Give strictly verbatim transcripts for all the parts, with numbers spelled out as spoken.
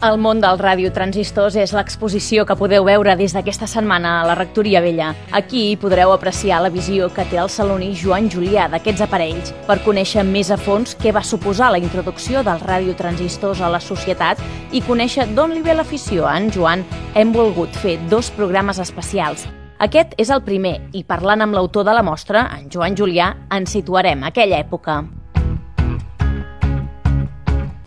El món dels radiotransistors és l'exposició que podeu veure des d'aquesta setmana a la Rectoria Vella. Aquí podreu apreciar la visió que té el saloní Joan Julià d'aquests aparells per conèixer més a fons què va suposar la introducció dels radiotransistors a la societat i conèixer d'on li ve l'afició a en Joan. Hem volgut fer dos programes especials. Aquest és el primer i parlant amb l'autor de la mostra, en Joan Julià, ens situarem a aquella època.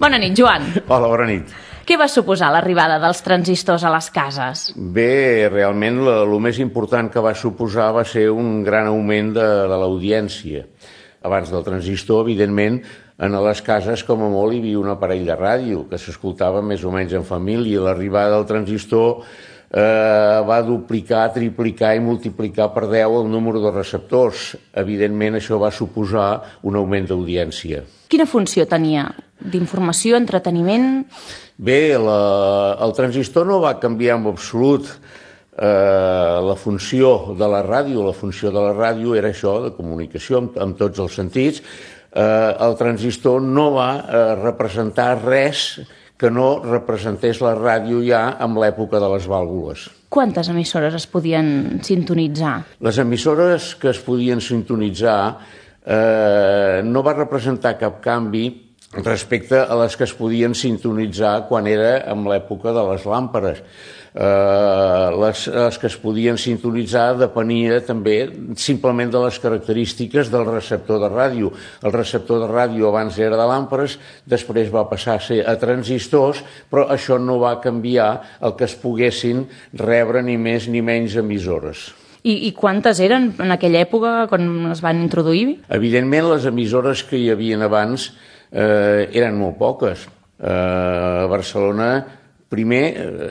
Bona nit, Joan. Hola, bona nit. Què va suposar l'arribada dels transistors a les cases? Bé, realment el més important que va suposar va ser un gran augment de, de l'audiència. Abans del transistor, evidentment, en les cases com a molt hi havia un aparell de ràdio que s'escoltava més o menys en família. L'arribada del transistor eh, va duplicar, triplicar i multiplicar per deu el número de receptors. Evidentment, això va suposar un augment d'audiència. Quina funció tenia? D'informació, entreteniment? Bé, la, el transistor no va canviar en absolut eh, la funció de la ràdio. La funció de la ràdio era això, de comunicació en, en tots els sentits. Eh, el transistor no va eh, representar res que no representés la ràdio ja en l'època de les vàlvules. Quantes emissores es podien sintonitzar? Les emissores que es podien sintonitzar eh, no va representar cap canvi respecte a les que es podien sintonitzar quan era en l'època de les làmperes. Eh, les, les que es podien sintonitzar depenia també simplement de les característiques del receptor de ràdio. El receptor de ràdio abans era de làmperes, després va passar a ser a transistors, però això no va canviar el que es poguessin rebre ni més ni menys emissores. I, I quantes eren en aquella època quan es van introduir? Evidentment, les emissores que hi havien abans Eh, eren molt poques. Eh, a Barcelona, primer,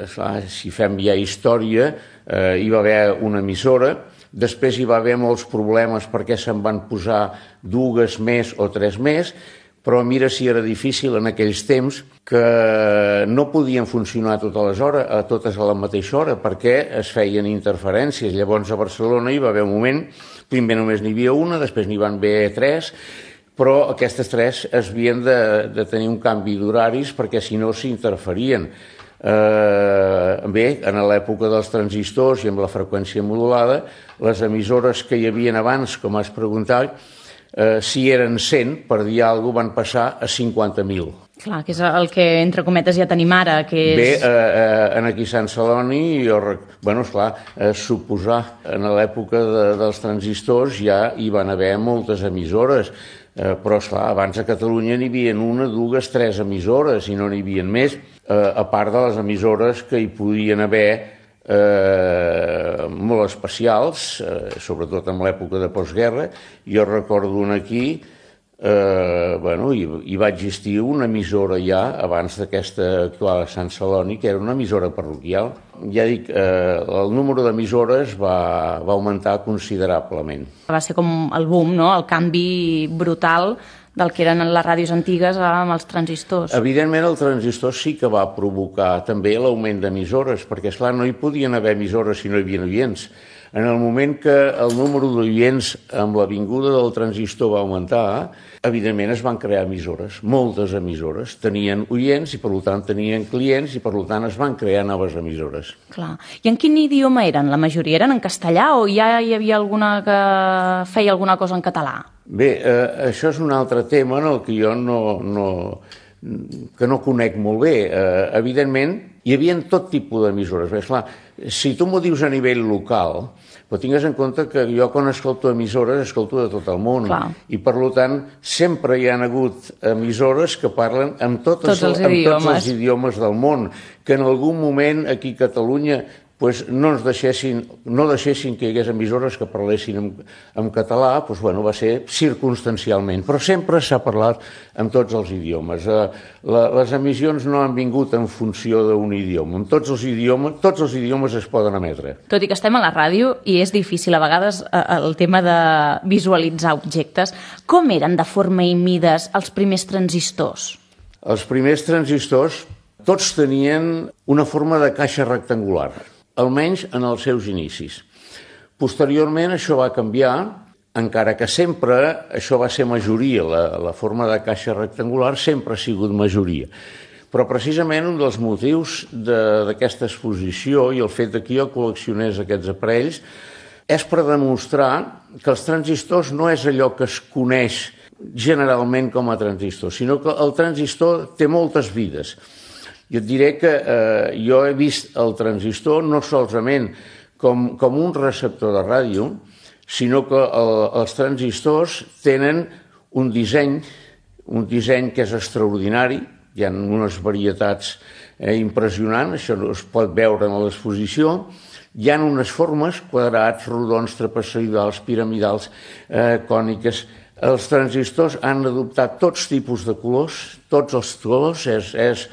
eh, si fem ja història, eh, hi va haver una emissora, després hi va haver molts problemes perquè se'n van posar dues més o tres més, però mira si era difícil en aquells temps que no podien funcionar totes les hores, a totes a la mateixa hora, perquè es feien interferències. Llavors a Barcelona hi va haver un moment, primer només n'hi havia una, després n'hi van haver tres, però aquestes tres es havien de, de tenir un canvi d'horaris perquè si no s'interferien. Eh, bé, en l'època dels transistors i amb la freqüència modulada, les emissores que hi havien abans, com has preguntat, eh, si eren cent, per dir alguna cosa, van passar a cinquanta mil. Clar, que és el que, entre cometes, ja tenim ara, que és... Bé, eh, en aquí Sant Celoni, jo, bueno, esclar, eh, suposar, en l'època de, dels transistors ja hi van haver moltes emissores, eh, però, esclar, abans a Catalunya n'hi havia una, dues, tres emissores, i no n'hi havia més, eh, a part de les emissores que hi podien haver eh, molt especials, eh, sobretot en l'època de postguerra. Jo recordo una aquí, Eh, bueno, hi, hi va existir una emissora ja abans d'aquesta actual a Sant Celoni, que era una emissora parroquial. Ja dic, eh, el número d'emissores va, va augmentar considerablement. Va ser com el boom, no? El canvi brutal del que eren les ràdios antigues amb els transistors. Evidentment el transistor sí que va provocar també l'augment d'emissores, perquè esclar, no hi podien haver emissores si no hi havia oients. En el moment que el número d'oients amb la vinguda del transistor va augmentar, evidentment es van crear emissores, moltes emissores. Tenien oients i per tant tenien clients i per tant es van crear noves emissores. Clar. I en quin idioma eren? La majoria eren en castellà o ja hi havia alguna que feia alguna cosa en català? Bé, eh, això és un altre tema en el que jo no, no, que no conec molt bé. Eh, evidentment, hi havia tot tipus d'emissores. Bé, esclar, si tu m'ho dius a nivell local, però tingues en compte que jo quan escolto emissores escolto de tot el món. Clar. I per tant sempre hi ha hagut emissores que parlen amb, totes, tots els amb idiomes. tots els idiomes del món, que en algun moment aquí a Catalunya pues no ens deixessin, no deixessin que hi hagués emissores que parlessin en, en català, pues bueno, va ser circumstancialment, però sempre s'ha parlat en tots els idiomes. Eh, la, les emissions no han vingut en funció d'un idioma, en tots els idiomes, tots els idiomes es poden emetre. Tot i que estem a la ràdio i és difícil a vegades eh, el tema de visualitzar objectes, com eren de forma i mides els primers transistors? Els primers transistors tots tenien una forma de caixa rectangular, almenys en els seus inicis. Posteriorment això va canviar, encara que sempre això va ser majoria, la, la forma de caixa rectangular sempre ha sigut majoria. Però precisament un dels motius d'aquesta exposició i el fet que jo col·leccionés aquests aparells és per demostrar que els transistors no és allò que es coneix generalment com a transistor, sinó que el transistor té moltes vides. Jo et diré que eh, jo he vist el transistor no solament com, com un receptor de ràdio, sinó que el, els transistors tenen un disseny, un disseny que és extraordinari, hi ha unes varietats eh, impressionants, això es pot veure en l'exposició, hi ha unes formes, quadrats, rodons, trapezoidals, piramidals, eh, còniques. Els transistors han adoptat tots tipus de colors, tots els colors, és, és,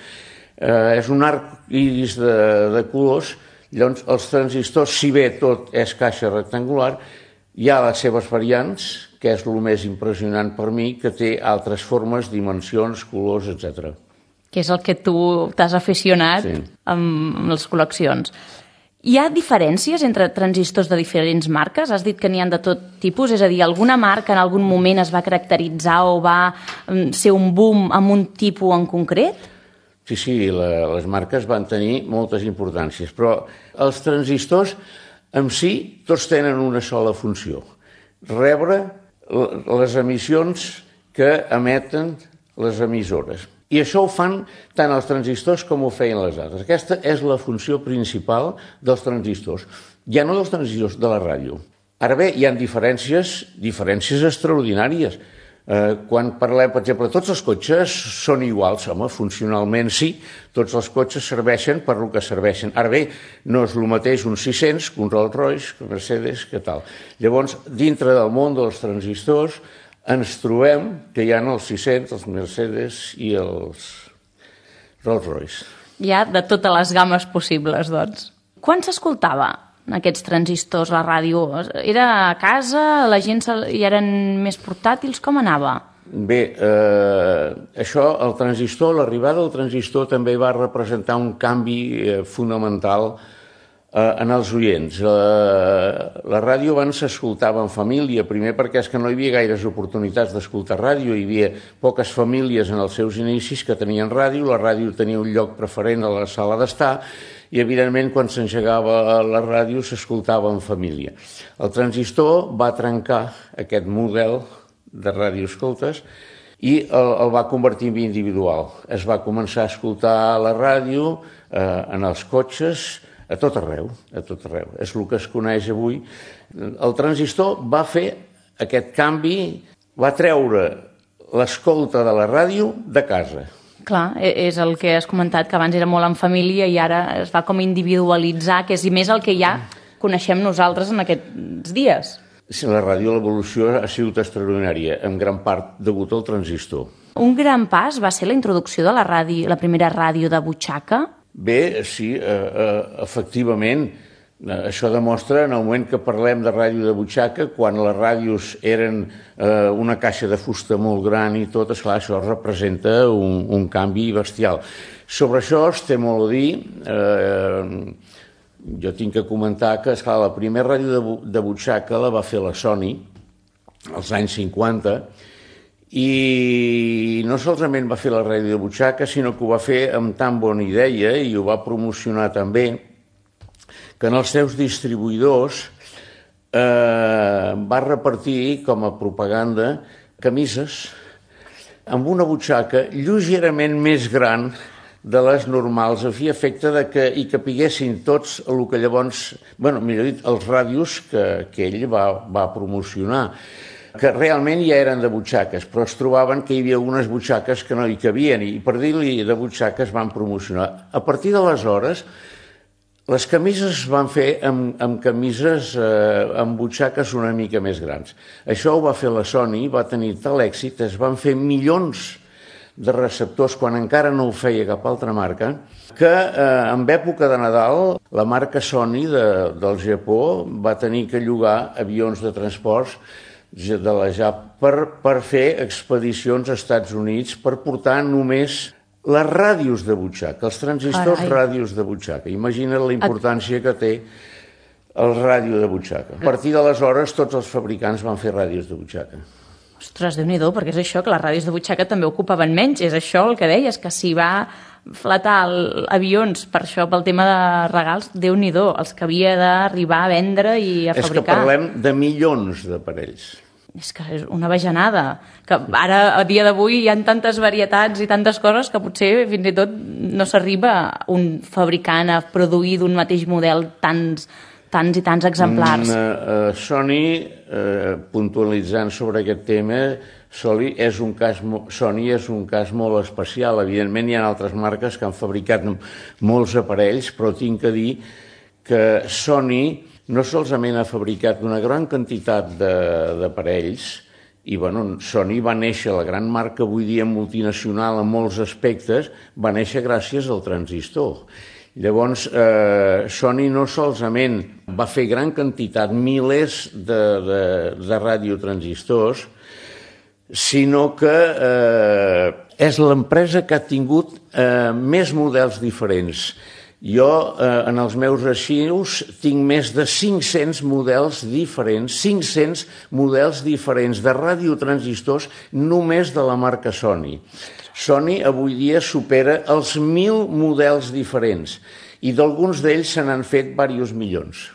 eh, és un arc iris de, de colors. Llavors, els transistors, si bé tot és caixa rectangular, hi ha les seves variants, que és el més impressionant per mi, que té altres formes, dimensions, colors, etcètera. Que és el que tu t'has aficionat sí. amb, amb les col·leccions. Hi ha diferències entre transistors de diferents marques? Has dit que n'hi ha de tot tipus, és a dir, alguna marca en algun moment es va caracteritzar o va ser un boom amb un tipus en concret? Sí, sí, la, les marques van tenir moltes importàncies, però els transistors en si tots tenen una sola funció, rebre les emissions que emeten les emissores. I això ho fan tant els transistors com ho feien les altres. Aquesta és la funció principal dels transistors, ja no dels transistors, de la ràdio. Ara bé, hi ha diferències, diferències extraordinàries. Eh, quan parlem, per exemple, tots els cotxes són iguals, home, funcionalment sí, tots els cotxes serveixen per el que serveixen. Ara bé, no és el mateix un sis-cents que un Rolls-Royce, que un Mercedes, que tal. Llavors, dintre del món dels transistors, ens trobem que hi ha els sis-cents, els Mercedes i els Rolls-Royce. Hi ha de totes les gammes possibles, doncs. Quan s'escoltava aquests transistors, la ràdio? Era a casa, la gent hi eren més portàtils, com anava? Bé, eh, això, el transistor, l'arribada del transistor també va representar un canvi eh, fonamental eh, en els oients. La, la ràdio abans s'escoltava en família, primer perquè és que no hi havia gaires oportunitats d'escoltar ràdio, hi havia poques famílies en els seus inicis que tenien ràdio, la ràdio tenia un lloc preferent a la sala d'estar, i evidentment quan s'engegava la ràdio s'escoltava en família. El transistor va trencar aquest model de radioescoltes i el, el va convertir en individual. Es va començar a escoltar la ràdio eh, en els cotxes, a tot arreu, a tot arreu. És el que es coneix avui. El transistor va fer aquest canvi, va treure l'escolta de la ràdio de casa. Clar, és el que has comentat, que abans era molt en família i ara es va com individualitzar, que és més el que ja coneixem nosaltres en aquests dies. Sí, la ràdio, l'evolució ha sigut extraordinària, en gran part degut al transistor. Un gran pas va ser la introducció de la ràdio, la primera ràdio de butxaca? Bé, sí, eh, eh, efectivament. Això demostra, en el moment que parlem de ràdio de butxaca, quan les ràdios eren eh, una caixa de fusta molt gran i tot, esclar, això representa un, un canvi bestial. Sobre això es té molt a dir. Eh, jo tinc que comentar que, esclar, la primera ràdio de, de butxaca la va fer la Sony als anys cinquanta, i no solament va fer la ràdio de butxaca, sinó que ho va fer amb tan bona idea i ho va promocionar també, que en els seus distribuïdors eh, va repartir com a propaganda camises amb una butxaca lleugerament més gran de les normals, a fi efecte de que hi capiguessin tots el que llavors, bueno, millor dit, els ràdios que, que ell va, va promocionar, que realment ja eren de butxaques, però es trobaven que hi havia algunes butxaques que no hi cabien, i per dir-li de butxaques van promocionar. A partir d'aleshores, les camises es van fer amb, amb camises eh, amb butxaques una mica més grans. Això ho va fer la Sony, va tenir tal èxit, es van fer milions de receptors quan encara no ho feia cap altra marca, que eh, en època de Nadal la marca Sony de, del Japó va tenir que llogar avions de transports de la J A P per, per fer expedicions als Estats Units per portar només les ràdios de butxaca, els transistors Carai. ràdios de butxaca. Imagina't la importància que té el ràdio de butxaca. A partir d'aleshores, tots els fabricants van fer ràdios de butxaca. Ostres, Déu-n'hi-do, perquè és això, que les ràdios de butxaca també ocupaven menys. És això el que deies, que s'hi va Flatal, avions, per això, pel tema de regals, Déu-n'hi-do, els que havia d'arribar a vendre i a fabricar. És que parlem de milions d'aparells. És que és una bajanada, que ara, a dia d'avui, hi ha tantes varietats i tantes coses que potser fins i tot no s'arriba un fabricant a produir d'un mateix model tants, tants i tants exemplars. Mm, uh, Sony, uh, puntualitzant sobre aquest tema, Sony és, un cas, Sony és un cas molt especial. Evidentment hi ha altres marques que han fabricat molts aparells, però tinc que dir que Sony no solament ha fabricat una gran quantitat d'aparells, i bueno, Sony va néixer, la gran marca avui dia multinacional en molts aspectes, va néixer gràcies al transistor. Llavors, eh, Sony no solament va fer gran quantitat, milers de, de, de radiotransistors, sinó que eh, és l'empresa que ha tingut eh, més models diferents. Jo, eh, en els meus arxius, tinc més de cinc-cents models diferents, cinc-cents models diferents de radiotransistors només de la marca Sony. Sony avui dia supera els mil models diferents i d'alguns d'ells se n'han fet diversos milions.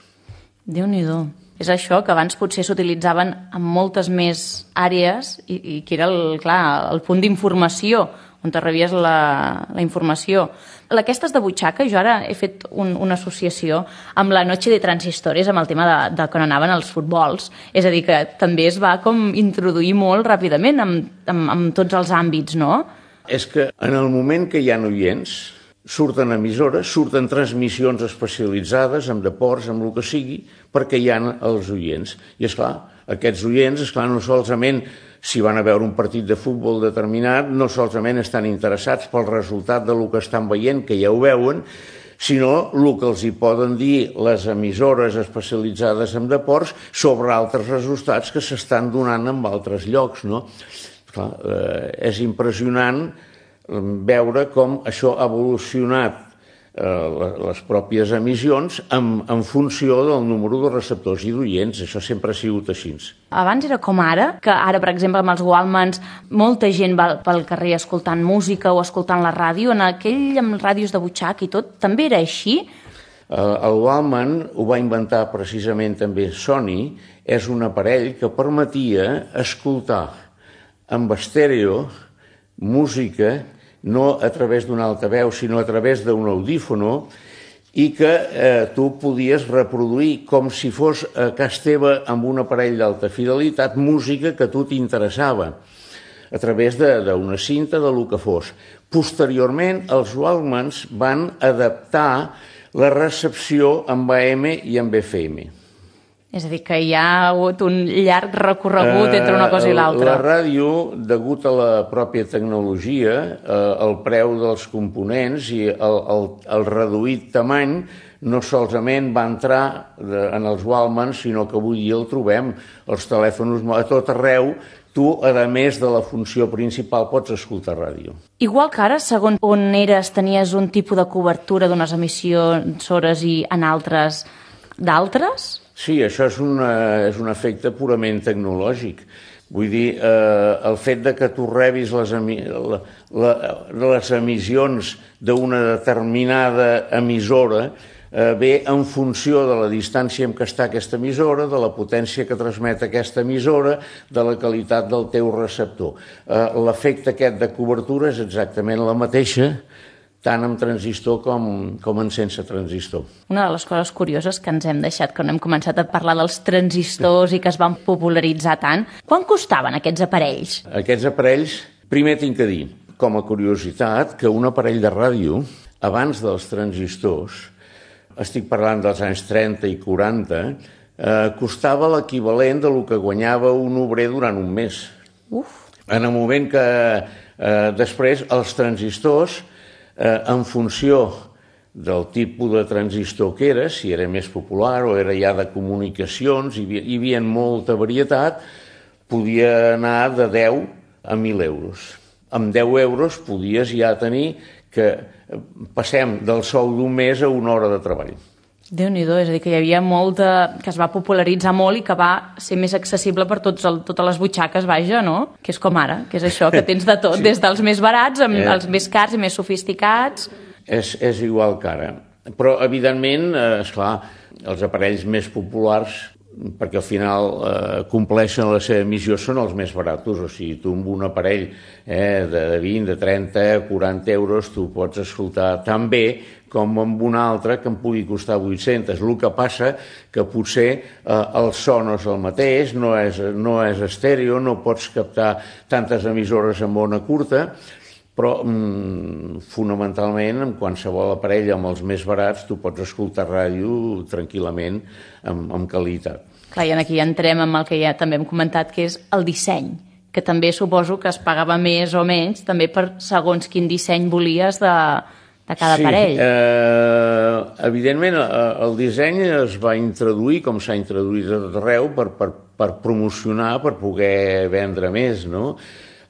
Déu-n'hi-do. És això, que abans potser s'utilitzaven en moltes més àrees i, i que era el, clar, el punt d'informació, on te rebies la, la informació. Aquestes de butxaca, jo ara he fet un, una associació amb la Noche de Transistores, amb el tema de, de quan anaven els futbols. És a dir, que també es va com introduir molt ràpidament en, en, en tots els àmbits, no? És que en el moment que hi ha oients, surten emissores, surten transmissions especialitzades amb deports, amb el que sigui, perquè hi ha els oients. I esclar, aquests oients, esclar, no solament si van a veure un partit de futbol determinat, no solament estan interessats pel resultat del que estan veient, que ja ho veuen, sinó el que els hi poden dir les emissores especialitzades en deports sobre altres resultats que s'estan donant en altres llocs, no? Clar, eh, és impressionant veure com això ha evolucionat eh, les pròpies emissions en, en funció del número de receptors i d'oients. Això sempre ha sigut així. Abans era com ara, que ara, per exemple, amb els Walkmans, molta gent va pel carrer escoltant música o escoltant la ràdio. En aquell, amb ràdios de butxaca i tot, també era així? El Walkman ho va inventar precisament també Sony. És un aparell que permetia escoltar amb estèreo música, no a través d'un altaveu, sinó a través d'un audífono, i que eh, tu podies reproduir com si fos a casa teva amb un aparell d'alta fidelitat música que a tu t'interessava a través d'una cinta, de lo que fos. Posteriorment, els Walkmans van adaptar la recepció amb A M i amb F M. És a dir, que hi ha hagut un llarg recorregut entre una cosa i l'altra. La ràdio, degut a la pròpia tecnologia, el preu dels components i el, el, el reduït tamany, no solament va entrar en els Walkmans, sinó que avui dia el trobem. Els telèfons a tot arreu, tu, a més de la funció principal, pots escoltar ràdio. Igual que ara, segons on eres, tenies un tipus de cobertura d'unes emissores i en altres d'altres? Sí, això és, una, és un efecte purament tecnològic. Vull dir, eh, el fet de que tu rebis les, emi la, la, les emissions d'una determinada emissora eh, ve en funció de la distància en què està aquesta emissora, de la potència que transmet aquesta emissora, de la qualitat del teu receptor. Eh, L'efecte aquest de cobertura és exactament la mateixa, tant amb transistor com, com en sense transistor. Una de les coses curioses que ens hem deixat, que no hem començat a parlar dels transistors i que es van popularitzar tant, quan costaven aquests aparells? Aquests aparells, primer tinc que dir, com a curiositat, que un aparell de ràdio, abans dels transistors, estic parlant dels anys trenta i quaranta, eh, costava l'equivalent de lo que guanyava un obrer durant un mes. Uf. En el moment que eh, després els transistors, Eh, en funció del tipus de transistor que era, si era més popular o era ja de comunicacions, hi havia, hi havia molta varietat, podia anar de deu a mil euros. Amb deu euros podies ja tenir que passem del sou d'un mes a una hora de treball. Déu-n'hi-do, és a dir, que hi havia molt de... que es va popularitzar molt i que va ser més accessible per tots el, totes les butxaques, vaja, no? Que és com ara, que és això, que tens de tot, sí. Des dels més barats amb eh. els més cars i més sofisticats. És, és igual que ara. Però, evidentment, eh, esclar, els aparells més populars, perquè al final eh, compleixen la seva missió, són els més baratos. O sigui, tu amb un aparell eh, de vint, de trenta, quaranta euros, tu pots escoltar tan bé com amb un altre que em pugui costar vuit-cents. El que passa que potser eh, el so no és el mateix, no és, no és estèreo, no pots captar tantes emissores en ona curta, però mm, fonamentalment amb qualsevol aparell, amb els més barats, tu pots escoltar ràdio tranquil·lament amb, amb qualitat. Clar, i aquí entrem amb el que ja també hem comentat, que és el disseny, que també suposo que es pagava més o menys, també per segons quin disseny volies de... de cada sí, aparell. Eh, evidentment, el disseny es va introduir, com s'ha introduït a tot arreu, per, per, per promocionar, per poder vendre més, no?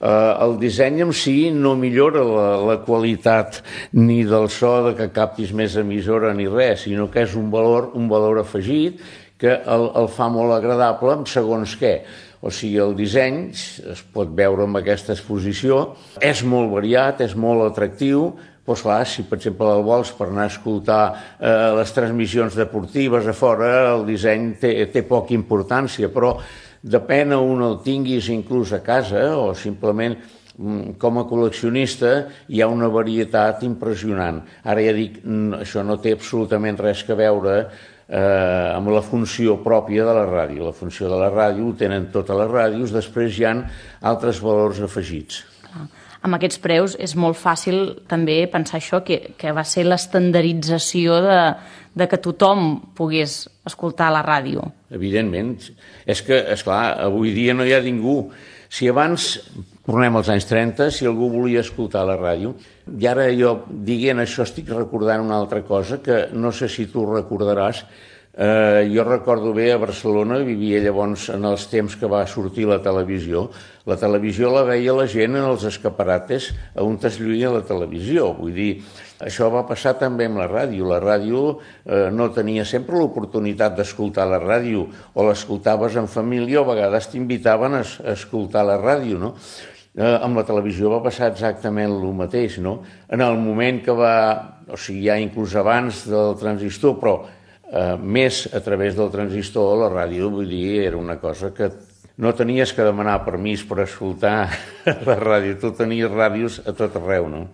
Eh, el disseny en si no millora la, la qualitat ni del so de que captis més emissora ni res, sinó que és un valor, un valor afegit que el, el fa molt agradable segons què. O sigui, el disseny es pot veure amb aquesta exposició, és molt variat, és molt atractiu. Doncs clar, si per exemple el vols per anar a escoltar eh, les transmissions deportives a fora, el disseny té, té poca importància, però depèn on el tinguis inclús a casa o simplement com a col·leccionista hi ha una varietat impressionant. Ara ja dic, això no té absolutament res a veure eh, amb la funció pròpia de la ràdio. La funció de la ràdio ho tenen totes les ràdios, després hi ha altres valors afegits. Amb aquests preus és molt fàcil també pensar això, que, que va ser l'estandardització de, de que tothom pogués escoltar la ràdio. Evidentment. És que, esclar, avui dia no hi ha ningú. Si abans, tornem als anys trenta, si algú volia escoltar la ràdio, i ara jo, dient això, estic recordant una altra cosa que no sé si tu recordaràs. Eh, jo recordo bé a Barcelona, vivia llavors en els temps que va sortir la televisió. La televisió la veia la gent en els escaparates on es lluïa la televisió. Vull dir, això va passar també amb la ràdio. La ràdio eh, no tenia sempre l'oportunitat d'escoltar la ràdio, o l'escoltaves en família o a vegades t'invitaven a, a escoltar la ràdio, no? Eh, amb la televisió va passar exactament el mateix, no? En el moment que va, o sigui, ja inclús abans del transistor, però Uh, més a través del transistor, la ràdio, vull dir, era una cosa que no tenies que demanar permís per escoltar la ràdio, tu tenies ràdios a tot arreu, no?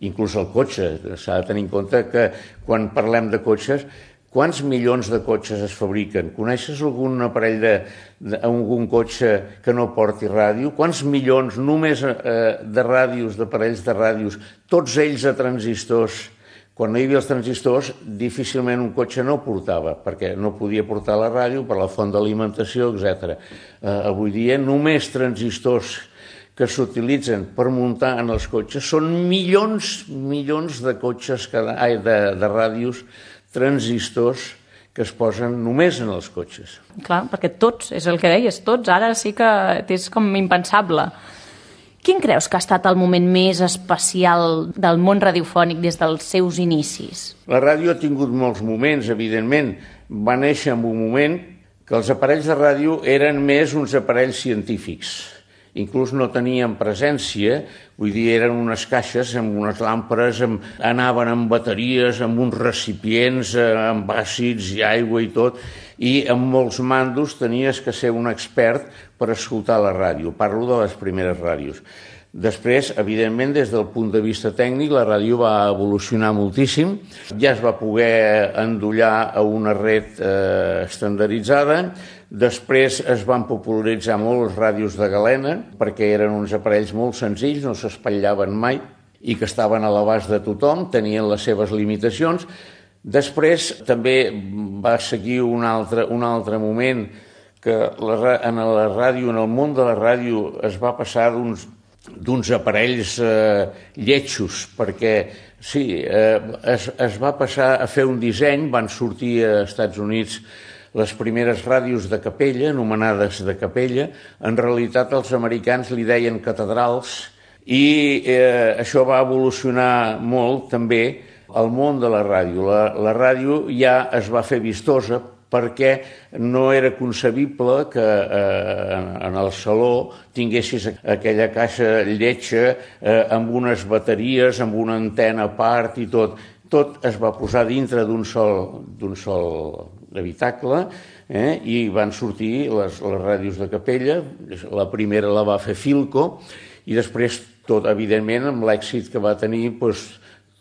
Inclús el cotxe, s'ha de tenir en compte que quan parlem de cotxes, quants milions de cotxes es fabriquen? Coneixes algun aparell de, de algun cotxe que no porti ràdio? Quants milions només eh, de ràdios, d'aparells de ràdios, tots ells a transistors? Quan no hi havia els transistors, difícilment un cotxe no portava, perquè no podia portar la ràdio per la font d'alimentació, etcètera. Eh, avui dia només transistors que s'utilitzen per muntar en els cotxes són milions, milions de cotxes, cada, ai, de, de ràdios, transistors que es posen només en els cotxes. Clar, perquè tots, és el que deies, tots, ara sí que és com impensable. Quin creus que ha estat el moment més especial del món radiofònic des dels seus inicis? La ràdio ha tingut molts moments, evidentment. Va néixer en un moment que els aparells de ràdio eren més uns aparells científics. Inclús no tenien presència, vull dir, eren unes caixes amb unes làmperes, amb, anaven amb bateries, amb uns recipients, amb àcids i aigua i tot, i amb molts mandos tenies que ser un expert per escoltar la ràdio. Parlo de les primeres ràdios. Després, evidentment, des del punt de vista tècnic, la ràdio va evolucionar moltíssim. Ja es va poder endollar a una red eh, estandarditzada. Després es van popularitzar molt les ràdios de galena, perquè eren uns aparells molt senzills, no s'espatllaven mai i que estaven a l'abast de tothom, tenien les seves limitacions. Després també va seguir un altre, un altre moment que la, en la ràdio, en el món de la ràdio, es va passar d'uns d'uns aparells eh, lletjos, perquè sí, eh, es, es va passar a fer un disseny, van sortir a Estats Units les primeres ràdios de capella, anomenades de capella. En realitat els americans li deien catedrals, i eh, això va evolucionar molt també el món de la ràdio. La, la ràdio ja es va fer vistosa perquè no era concebible que eh, en el saló tinguessis aquella caixa lletja eh, amb unes bateries, amb una antena a part i tot. Tot es va posar dintre d'un sol, d'un sol habitacle, eh, i van sortir les, les ràdios de capella. La primera la va fer Philco i després, tot evidentment, amb l'èxit que va tenir, doncs,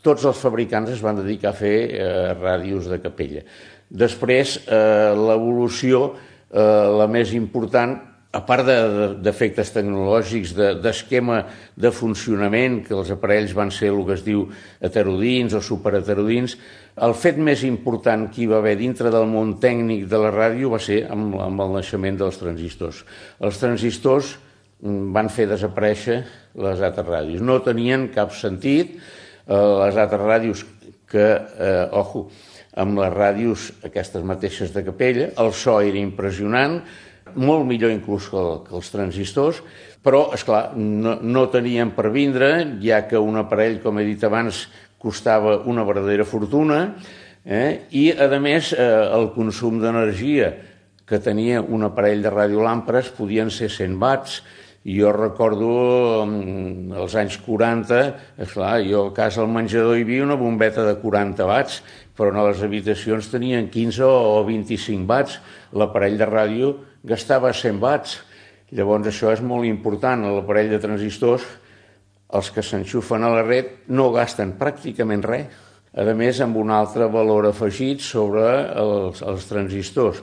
tots els fabricants es van dedicar a fer eh, ràdios de capella. Després, eh, l'evolució, eh, la més important, a part d'efectes tecnològics, d'esquema de funcionament, que els aparells van ser el que es diu heterodins o superheterodins, el fet més important que hi va haver dintre del món tècnic de la ràdio va ser amb, amb el naixement dels transistors. Els transistors van fer desaparèixer les altres ràdios. No tenien cap sentit. Eh, les altres ràdios que, eh, ojo, amb les ràdios aquestes mateixes de capella, el so era impressionant, molt millor inclús que, que els transistors, però, esclar, no, no tenien per vindre, ja que un aparell, com he dit abans, costava una verdadera fortuna, eh? I, a més, eh, el consum d'energia que tenia un aparell de radiolàmperes podien ser cent watts. Jo recordo els anys quaranta, esclar, jo a casa al menjador hi havia una bombeta de quaranta watts, però a les habitacions tenien quinze o vint-i-cinc watts. L'aparell de ràdio gastava cent watts. Llavors això és molt important. L'aparell de transistors, els que s'enxufen a la red, no gasten pràcticament res. A més, amb un altre valor afegit sobre els, els transistors.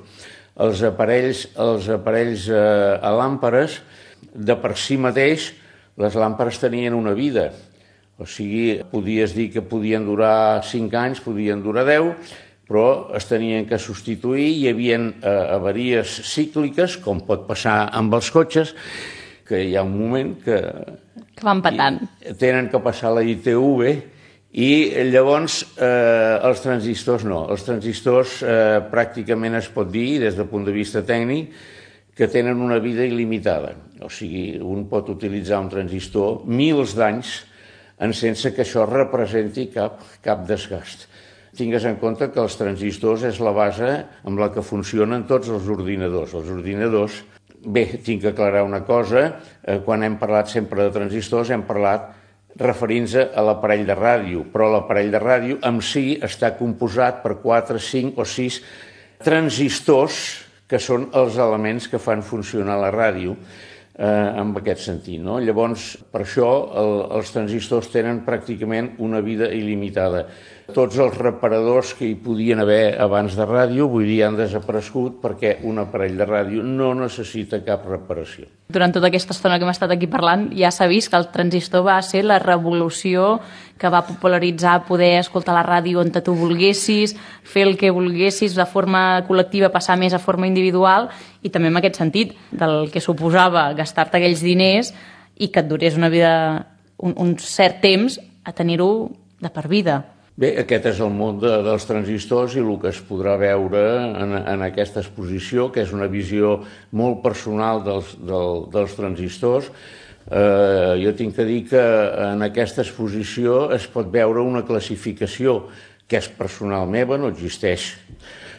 Els aparells, els aparells eh, a làmperes, de per si mateix, les làmperes tenien una vida. O sigui, podies dir que podien durar cinc anys, podien durar deu, però es tenien que substituir, hi havia eh, avaries cícliques, com pot passar amb els cotxes, que hi ha un moment que... Que van patant. Tenen que passar la I T V i llavors eh, els transistors no. Els transistors eh, pràcticament es pot dir, des del punt de vista tècnic, que tenen una vida il·limitada. O sigui, un pot utilitzar un transistor mils d'anys sense que això representi cap, cap desgast. Tingues en compte que els transistors és la base amb la que funcionen tots els ordinadors. Els ordinadors, bé, tinc que aclarar una cosa, eh, quan hem parlat sempre de transistors hem parlat referint-se a l'aparell de ràdio, però l'aparell de ràdio en si està composat per quatre, cinc o sis transistors que són els elements que fan funcionar la ràdio. Eh, en aquest sentit, no? Llavors, per això el, els transistors tenen pràcticament una vida il·limitada. Tots els reparadors que hi podien haver abans de ràdio, vull dir, han desaparegut perquè un aparell de ràdio no necessita cap reparació. Durant tota aquesta estona que hem estat aquí parlant, ja s'ha vist que el transistor va ser la revolució que va popularitzar poder escoltar la ràdio on tu volguessis, fer el que volguessis de forma col·lectiva, passar més a forma individual, i també en aquest sentit, del que suposava gastar-te aquells diners i que et durés una vida, un, un cert temps, a tenir-ho de per vida. Bé, aquest és el món de, dels transistors i el que es podrà veure en, en aquesta exposició, que és una visió molt personal dels, del, dels transistors. Eh, jo tinc que dir que en aquesta exposició es pot veure una classificació que és personal meva, no existeix,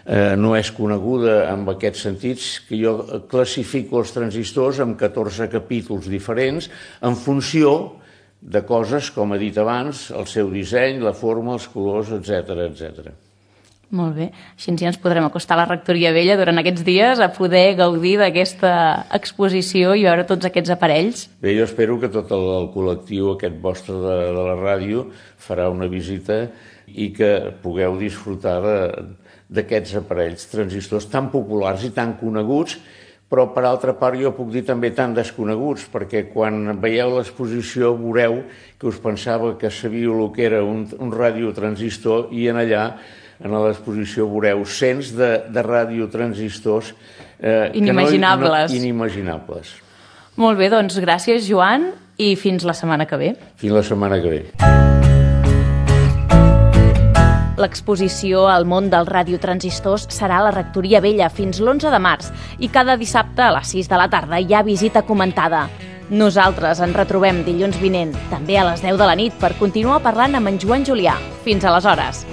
eh, no és coneguda en aquests sentits, que jo classifico els transistors en catorze capítols diferents en funció de coses, com he dit abans, el seu disseny, la forma, els colors, etcètera, etcètera. Molt bé. Així ja ens podrem acostar a la Rectoria Vella durant aquests dies a poder gaudir d'aquesta exposició i veure tots aquests aparells. Bé, jo espero que tot el, el col·lectiu aquest vostre de, de la ràdio farà una visita i que pugueu disfrutar d'aquests aparells transistors tan populars i tan coneguts, però per altra part jo puc dir també tan desconeguts, perquè quan veieu l'exposició veureu que us pensava que sabíeu el que era un, un radiotransistor i en allà, en l'exposició, veureu cents de, de radiotransistors eh, inimaginables. No, no, inimaginables. Molt bé, doncs gràcies, Joan, i fins la setmana que ve. Fins la setmana que ve. L'exposició al món dels radiotransistors serà a la Rectoria Vella fins l'onze de març i cada dissabte a les sis de la tarda hi ha visita comentada. Nosaltres ens retrobem dilluns vinent, també a les deu de la nit, per continuar parlant amb en Joan Julià. Fins aleshores.